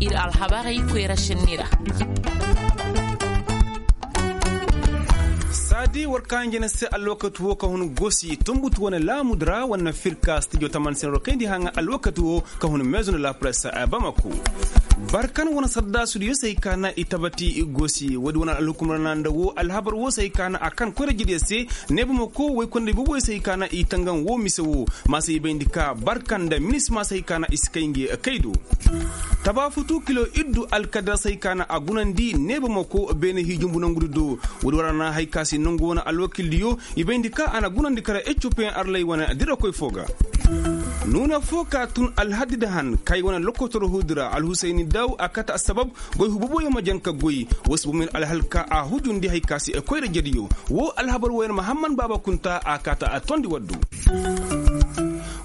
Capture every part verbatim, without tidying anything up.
Ir alhabarey koyra senni ra. Saadi war ka hinja na se alwakati wo ka hun gosi tumbutu wane laamudi ra wane firka stijo taman senro kayndi haŋa alwakati wo ka hun meezo nda la presse. Bamako barkan wane saddaasu diyo se hay ka na i tabati i gosi woodi wane alhukumar na nda wo alhabar wo se hay ka na a kan koyra jediyo se. Ne bamako woy konda i boboyo se hay ka na i tangaŋ wo mise wo. Ma se i bayndi ka barkan nda minisma se hay ka na i si kay nge kay do. Tabaafutu kilo iddu alkadar se hay ka na a gunandi neeba mako beene hii jumbu nangudi do. Woodi war a na hay ka se nangu wane alwakildiyo i bayndi ka a na gunandi kara eccopeyaŋ arlay wane dirakoy fo ga. Nuuna fo ka tun alhaddi da han kay wane lokotor huudi ra alhusayni daw a kate assabab. Goy hububuyo ma jan ka goy. Woo si bomoy na alhal ka a hujundi hay ka se koyra jediyo. Woo alhabar wooyaŋ mahamman baaba kunta a kaata a tondi waddu.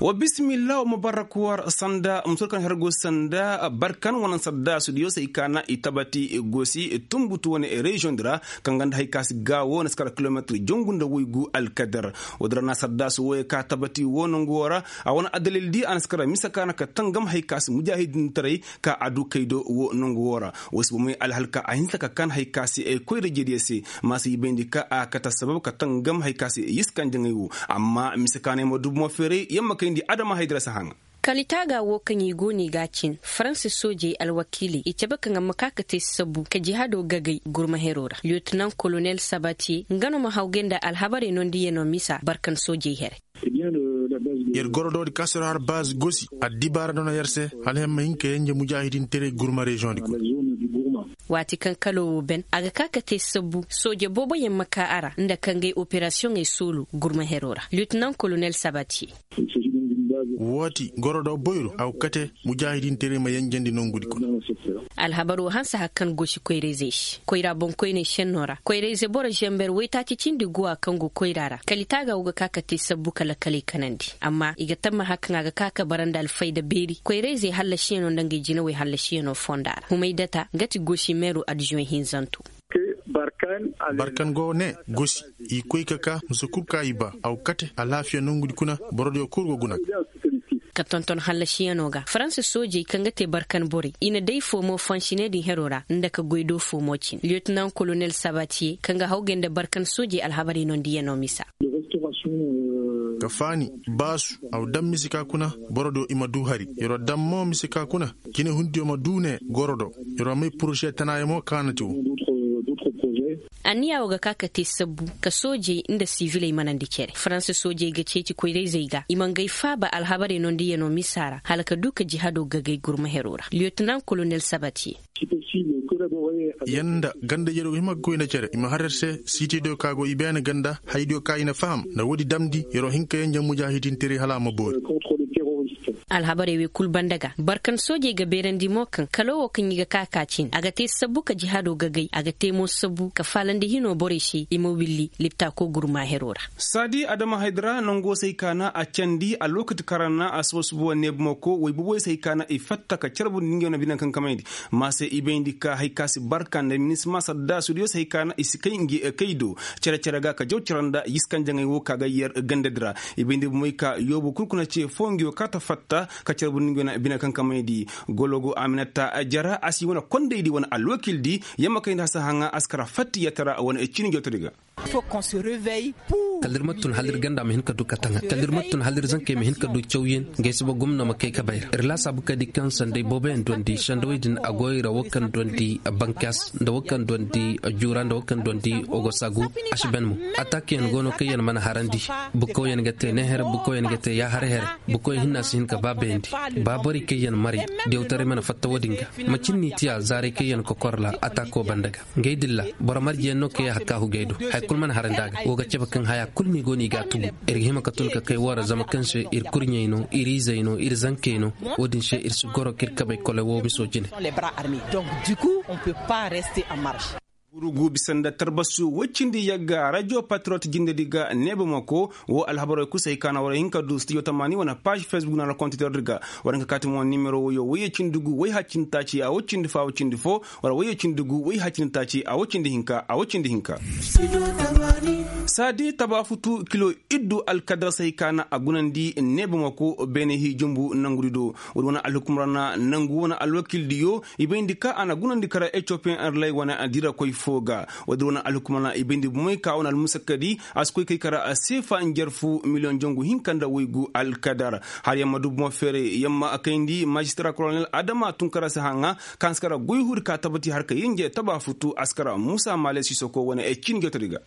Wa bisimilla wa mubarak war sanda musurkan hergo sanda barkan wane saddaasu diyo se hay ka na i tabati gosi tumbutu wane reziyoŋ di ra. Kaŋ ganda hay ka se gaawo na si kara kilometir jongu nda woygu alkadar. Woodi ra na saddaasu wooyo ka tabati woo nongu woo ra. A wane addalil di a na si kara mise ka na ka tangam hay ka se mujaahidintaray ka a du kay do woo nongu woo ra. Woo si bomoy alhal ka a hinsa ka kan hay ka se ay koyra jediyo se. Ma se i bayndi ka a kate assabab ka tangam hay ka se yiskan jaŋay woo. Amma mise ka na ay ma du bomo feeray yamma kayndi adama hay di ra si haŋa. Kalitaaga woo kaŋ i go no i ga a cin faransa soojey alwakiiley i cabe kaŋ a ma ka ka te sabbu ka jihaado gagay gurma heroo ra liyotinaŋ kolonel sabatiye nga no ma hawgay nda alhabarey nondiyanoo misa barkan soojey here. Yer gorodoodi kaŋ se yer har baazi gosi addibaara dono yer se hala yer ma hin ka yenje mujaahidinteray gurma reziyoŋ di kuna. Waati kaŋ kaloo woo ben a ga ka ka te sabbu sooje booboyaŋ ma ka a ra nda ka ngay operasiyoŋey soolu gurma heroo ra liyotinaŋ kolonel sabatiye. Wooti gorodo boyro a go kate mujaahidinteray ma yenjendi nongudi kuna. Alhabaroo hanse har kaŋ gosi koyra-izey se koyra boŋkoyney šennoo ra koyra-ize boro zember waytaaci cindi guwa kaŋ go koyra ra kalitaaga woo ga ka ka te sabbu ka lakaley kanandi. Amma i ga tamma har kaŋ a ga ka ka bara nda alfayda beeri koyra-izey hallasiyanoo nda ngey jinawey hallasiyanoo fonda ra humaydata nga ti gosi meeru addiziyoŋ hinzanto. Barkan go ne gosi i koy ka ka mise kul ka i ba a go kate alaafiya nongudi kuna borodiyo kul go guna. Ka tonton hallasiyanoo ga faransa soojey kaŋ ga te barkan borey i na day foomo fansiney din heroo ra nda ka goy do foomo cin liyotinaŋ kolonel sabatiye kaŋ ga hawgay nda barkan soojey alhabarey nondiyanoo misa. Ka faani baasu a go daŋ mise ka kuna borodiyo i ma du hari yer wo daŋ mo mise ka kuna. Jinehundiyo ma du ne goro do. Yer wo may poroze tanaayo mo kaŋ a na te wo. Anniya woo ga ka ka te sabbu ka soojey nda siviley manandi cere faransa soojey ga ceeci koyra-izey ga i ma ngay faaba alhabarey nondiyanoo misa ra hala ka du ka jihaadoo gagay gurma heroo ra liyotinaŋ kolonel sabatiye. Yer nda ganda-ijediyo ga hima ga koy nda cere i ma har yer se siitediyo ka go i beene ganda hayadiyo ka i na faham nda woodi damndi yer wo hin ka yenje mujaahidinteray hala a ma boori. Alhabarey wey kul banda ga barkan soojey ga beerandi mo kaŋ kaloo woo kaŋ i ga ka ka cin a ga te sabbu ka jihaadoo gagay a ga te mo sabbu ka faalandi hinoo borey se i ma willi liptaakoo gurmaa heroo ra. Saadi adama haydi ra nangoo se hay ka na a candi alwakati kaŋ ra na a suba-suba wane neebumako woy boboy se hay ka na i fatta ka carbundi ngey wane bine kaŋ kamayndi. Ma se i bayndi ka hay ka si barka nda minisma saddaasudiyo se hay ka na i si kay ngi kay do cere-cere ga ka jaw cere nda yiskanjaŋey wo ka ga yer gandadi ra. I bayndi bomey ka yoobu kul kuna ce foo ngi wo kaata fatta ka carbundi ngi wane bine kaŋ kamayndi. Gologo aminata jara a si wane kondaydi wane alwakildi yamma kayndi hasa haŋa a si kara fatti yatara wane cini jotodi ga. Kala ir ma tun hala ir ganda ma hin ka du ka taŋa kala ir ma tun hala ir zankey ma hin ka du cawyaŋ. Ngey si ba gomno ma kay ka bay ra ir laasaabu ka di kaŋ sanday booboyaŋ duwandi sandawey din a go i ra wo kaŋ duwandi bankas nda wo kaŋ duwandi juura nda wo kaŋ duwandi ogosagu. A si ben mo ataakayaŋ go no kaŋ yaŋ mana harandi. Bukawyaŋ ga te neehere bukawyaŋ ga te yaahar here. Bukawyaŋ hinna si hin ka baabayandi. Ba borey kaŋ yaŋ maray diyawtaray mana fatta wo-din ga. Macin n'i tiya zaaray kaŋ yaŋ kokor ra ataako banda ga. Ngey dilla boro marjeyaŋ no kaŋ yaŋ hakka hugey do haya kulu mana harandi a ga wo ga cabe kaŋ haya kulu no i go no i ga a tugu. Ir ga hima ka tun ka kay woo ra zama kaŋ se ir kurɲey no ir izey no ir zankey no. Wo-din se ir si goro ka ir kabey kole woo miso jine. Gurugu bisa nda tarbasu woy cindi yagga radio patriot jindedi ga neeba mako woo alhabarey kul se hay ka na war hin ka du studio tamaani wane paaž facebook na ra kontitor di ga. War hin ka kaati mo nimero woyo woyye cindi gu woy haya cindi taaci a woy cindi foo a woy cindi foo. Wala woyye cindi gu woy haya cindi taaci a woy cindi hinka a woy cindi hinka. Saadi tabaafutu kilo iddu alkadar se hay ka na a gunandi neebamako beene hii jumbu nangudi do. Woodi wane alhukumra na nangu wane alwakildiyo i bayndi ka a na gunandi kara etiyopiyen erlay wane dirakoy fo ga. Woodi wane alhukumra na i bayndi bomey ka wane almusakadi a si koy kay kara seefa njarfu miliyoŋ jangu hinka nda waygu alkadar. Har yamma du bomo feeray yamma kayndi majistara kolonel adama tunkara se haŋa kaŋ si kara goy huudi ka tabati har ka yinje tabaafutu a si kara muusa maale sisoko wane cin jotodi ga.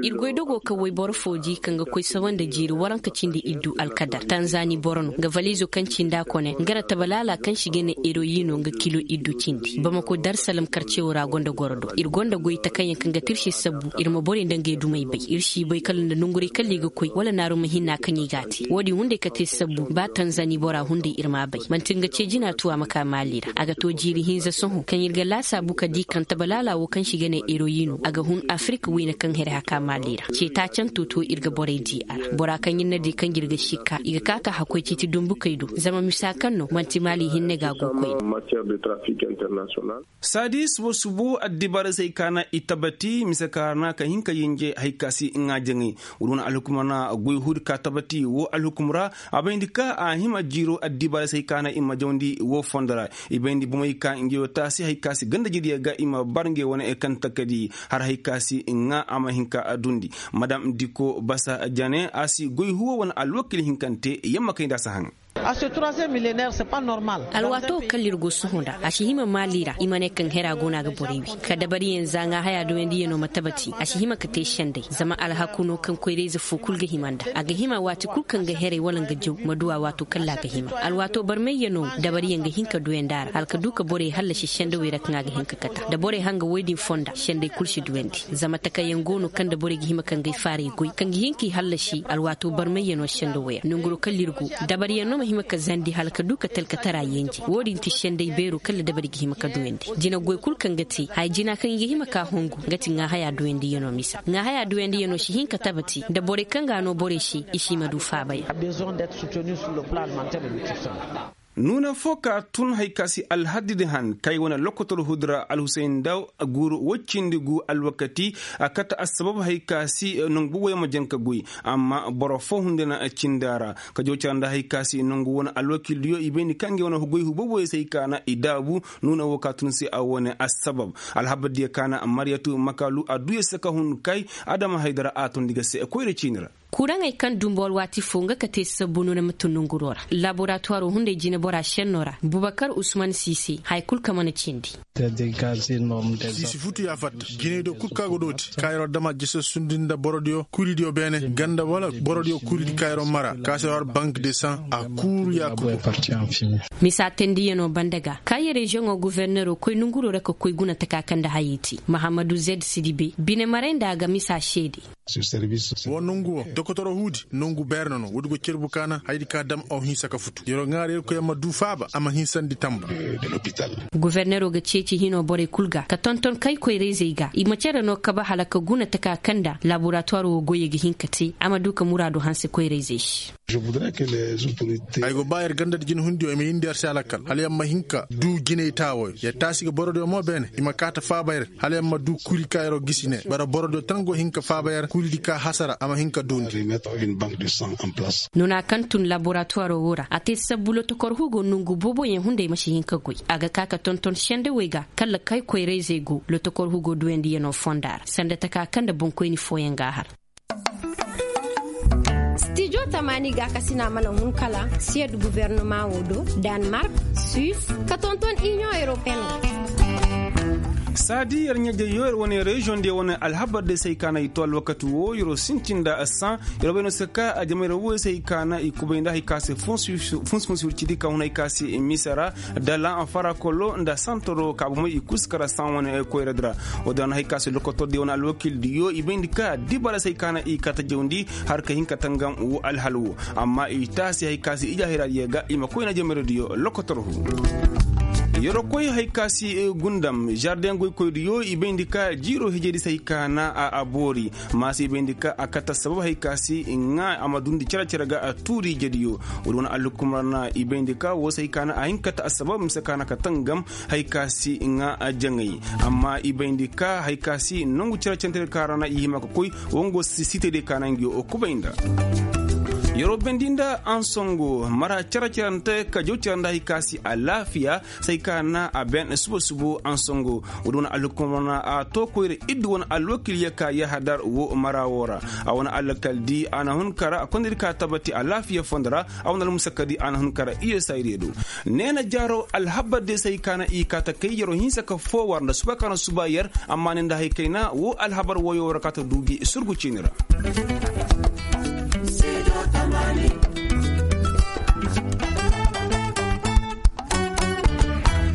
Ir goy dogo kaŋ wayboro fo di kaŋ ga koy sawa nda jiiri waranka cindi iddu alkadar tanzani boro no nga valizo kaŋ cinda kone nga ra tabalaala kaŋ si ga ne eroyi no nga kilo iddu cindi bamako darsalam karcewo ra gonda goro do ir gonda goy takayyaŋ kaŋ ga tirse sabbu ir ma borey nda ngey dumey bay ir si bay kala nda nonguray kala i ga koy wala naaru ma hinna kaŋ i ga a te wo-din hunday ka te sabbu ba tanzani bora hunday ir m'a bay manti nga ce jina tu a ma ka maali ra a ga to jiiri hinza sohõ kaŋ ir ga laasaabu ka di kaŋ tabalaala wo kaŋ si ga ne eroyi no a ga hun afirika wayne kaŋ here haka maali ra ce taacanto to ir ga borey di a ra bora kaŋ ir na di kaŋ ir ga sikka i ga ka ka hakkoy ciiti dumbukey do zama misa kaŋ no manti maali hinne ga a go koyne. Saadi subo subo addibaarey se hay ka na i tabati mise ka ra na ka hin ka yinje hay ka si ŋaajaŋey. Wala wane alhukumra na goy huudi ka tabati wo alhukum ra a bayndi ka a hima jiiro addibaarey se hay ka na i ma jawndi wo fondo ra. I bayndi bomey ka ngey wo taasi hay ka si ganda jiriyo ga i ma bar ngey wane kaŋ takadi har hay ka si ŋaa a ma hin ka dundi. Madam diko basa jane a si goy huwo wane alwakil hinkante yamma kay nda a si haŋ. Alwaato wo kaŋ ir go sohõ nda a si hima maali ra i ma ne kaŋ hera go no a ga borey wi ka dabariyaŋ za ŋaa haya duyandiyaŋo ma tabati a si hima ka te senday zama alhaku no kaŋ koyrayze fo kulu ga hima nda a ga hima waati kulu kaŋ ga heray wala nga jaw ma du a waato kala a ga hima alwaato barmayyaŋo dabariyaŋ ga hin ka duyandi a ra hala ka du ka borey hallasi sendawey ra kaŋ a ga hin ka kata da borey hanga woy din fonda senday kulu si duyandi zama takayyaŋ go no kaŋ da borey ga hima ka ngey faaray goy kaŋ ga hin k'i hallasi alwaato barmayyaŋo sendawey ra nonguro kala ir go dabariyaŋo ma hima ka zandi hala ka du ka talkatara yenje wo-din ti senday beero kala dabari ga hima ka duyandi jina goy kulu kaŋ ga te haya jina kaŋ i ga hima ka hungu nga ti ŋaa haya duyandiyaŋo misa ŋaa haya duyandiyaŋo si hin ka tabati nda borey kaŋ ga a no borey se i si ma du faabayaŋ. Nuuna fo ka tun hay ka si alhaddi di han kay wane lokotor hudura alhusayn daw guuru woy cindi gu alwakati a kate assabab hay ka si nongu boboyaŋ ma janka goy amma boro fo hunday na cindi a ra ka jaw cara nda hay ka si nongu wane alwakildiyo i bay ni kaŋ ga wane goy hu boboyaŋ se hay ka na i daabu nuuna wo ka tun se a wane assabab alhabardiyo ka na mariyatu makalu a duu ya se ka hun kay adama haydara a tondi ga se koyra ciini ra. Kuraŋey kaŋ dumbu alwaati fo nga ka te sabbu no na ma tun nonguroo ra laboratuwaroo hunday jineboraa šennoo ra bubakar usman siise haya kul kaŋ mana cindi. Siisi futu ya fatta jiney do kul kaŋ a go dooti ka yeroo dama jese sundi nda borodiyo kuridiyo beene ganda wala borodiyo kuridi ka yeroo mara ka se war bank de san a kuuru ya kul. Misa tendiyanoo banda ga ka yer reziyoŋoo goforneroo koy nonguroo ra ka koy guna taka kaŋ nda hayey te mahammadu zed sidibe bine maray nda a ga misa seede. Woo nongu woo dokotoro huudi nongu beere nono woodi go cerbu kaana hayadi ka dam aw hinsa ka futu yeroo ŋaari yerkoy a ma duu faaba a ma hinsandi tamba. Goforneroo ga ceeci hinoo borey kul ga ka tonton kay koyra-izey ga i ma cere no kabe hala ka guna taka kaŋ nda laboratuwaroo woo goyey ga hin ka te a ma duu ka muraadu hanse koyra-izey se. Ay go ba yer ganda nda jinehundiyo i ma yindi yer se alakal hala yer ma hin ka duu jiney taawooyo yer taasi ga borodiyo mo beene i ma kaa ta faaba yer hala yer ma duu kuri ka yeroo gisi ne bara borodiyo tan go hin ka faaba yer kuridi ka hasara a ma hin ka duundi. Nuna kaŋ tun laboratuwaroo woo ra a te sabbu lotokor hugo nongu booboyaŋ hunday ma si hin ka goy a ga kaa ka tonton sendawey ga kala kay koyra-izey go lotokor hugo duuyandiyanoo fonda ra sanda taka kaŋ nda boŋkoyni fooyaŋ ga a har. Stijo tamaani gaakasina mana hun kala siyed gufornoma woo do, danmark, suis, ka tonton iniyoŋ europeyen. Saadi yer ɲajeyo yer wane reziyoŋ de wane alhabar de se hay ka na i to alwakati woo yeroo sintin nda assaŋ yeroo bay no se ka a jama yeroo woo se hay ka na i kubay nda hay ka se funsi funsi wircidi ka hun hay ka se misa ra, dala farakolo nda santoro ka bomey i kul si kara saŋ wane koyradi ra. Woo din ra na hay ka se lokotordiyo wane alwakildiyo i bayndi ka dibara se hay ka na i kata jawndi har ka hin ka tangam woo alhal woo amma i taasi hay ka se ijahiradiyo ga i ma koyna jameradiyo lokotor hu. Yeroo koy hari ka si gundam zardeŋ goykoydiyo i bayndi ka jiiroo hijedi se hari ka na a boori. Maasa i bayndi ka a kate assabab hari ka si ŋaa a ma dundi cere-cere ga tuuri ijediyo. Woodi wane alhukumar na i bayndi ka woo se hari ka na a hin ka kate assabab mise ka na kate ngam hari ka si ŋaa jaŋay. Amma i bayndi ka hari ka si nongu cere-cere ka ra na i hima ka koy woo ngo si sitediyo ka na nga yoo kubay nda. Yeroo bendi nda ansongo mara cere-cerante ka jaw cere nda hari ka si alaafiya. Say ka na a ben suba-subu ansongo. Woodi wane alhukumar na a too koyra iddu wane alwakil ya ka yahadar woo mara woo ra. A wane alkaldi a na hun kara a kondiri ka tabati alaafiya fondo ra. A wane almusakadi a na hun kara iya saydiyo do. Neena jaaroo alhabar diyo say ka na i kaa ta kay yeroo hinsa ka foo war nda suba ka na suba yer. Amma ne nda hari kayna woo alhabar woyoo ra ka ta duu gi surgu ciini ra.